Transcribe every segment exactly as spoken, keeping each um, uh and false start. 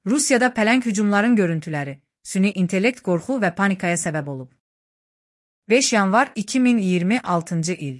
Rusiyada pələng hücumların görüntüləri, süni intellekt qorxu və panikaya səbəb olub. beş yanvar iki min iyirmi altıncı il.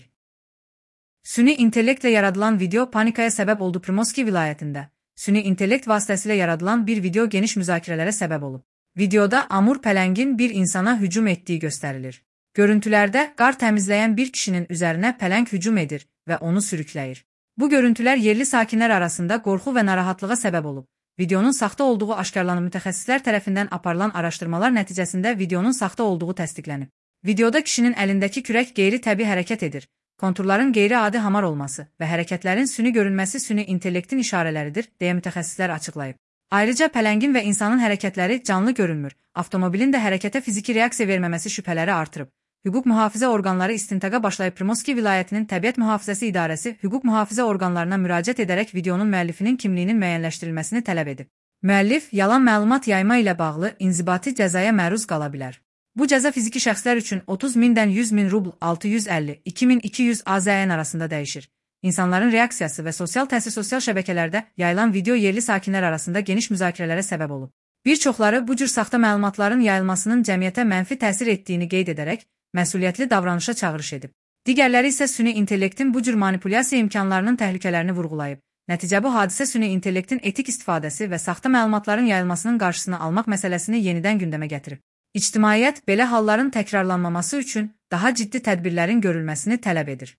Süni intellektlə yaradılan video panikaya səbəb oldu. Primorski vilayətində süni intellekt vasitəsilə yaradılan bir video geniş müzakirələrə səbəb olub. Videoda Amur pələngin bir insana hücum etdiyi göstərilir. Görüntülərdə qar təmizləyən bir kişinin üzərinə pələng hücum edir və onu sürükləyir. Bu görüntülər yerli sakinlər arasında qorxu və narahatlığa səbəb olub. Videonun saxta olduğu aşkarlanıb. Mütəxəssislər tərəfindən aparılan araşdırmalar nəticəsində videonun saxta olduğu təsdiqlənib. Videoda kişinin əlindəki kürək qeyri-təbii hərəkət edir. Konturların qeyri-adi hamar olması və hərəkətlərin süni görünməsi süni intellektin işarələridir, deyə mütəxəssislər açıqlayıb. Ayrıca pələngin və insanın hərəkətləri canlı görünmür. Avtomobilin də hərəkətə fiziki reaksiya verməməsi şübhələri artırıb. Hüquq mühafizə orqanları istintaqa başlayıb. Primorski vilayətinin Təbiət Mühafizəsi İdarəsi hüquq mühafizə orqanlarına müraciət edərək videonun müəllifinin kimliyinin müəyyənləşdirilməsini tələb edib. Müəllif yalan məlumat yayma ilə bağlı inzibati cəzaya məruz qala bilər. Bu cəza fiziki şəxslər üçün otuz mindən yüz min rubl altı yüz əlli iki min iki yüz AZN arasında dəyişir. İnsanların reaksiyası və sosial təsir sosial şəbəkələrdə yayılan video yerli sakinlər arasında geniş müzakirələrə səbəb olub. Bir çoxları bu cür saxta məlumatların yayılmasının cəmiyyətə mənfi təsir etdiyini qeyd edərək məsuliyyətli davranışa çağırış edib. Digərləri isə süni intellektin bu cür manipulyasiya imkanlarının təhlükələrini vurğulayıb. Nəticə bu hadisə süni intellektin etik istifadəsi və saxta məlumatların yayılmasının qarşısını almaq məsələsini yenidən gündəmə gətirib. İctimaiyyət belə halların təkrarlanmaması üçün daha ciddi tədbirlərin görülməsini tələb edir.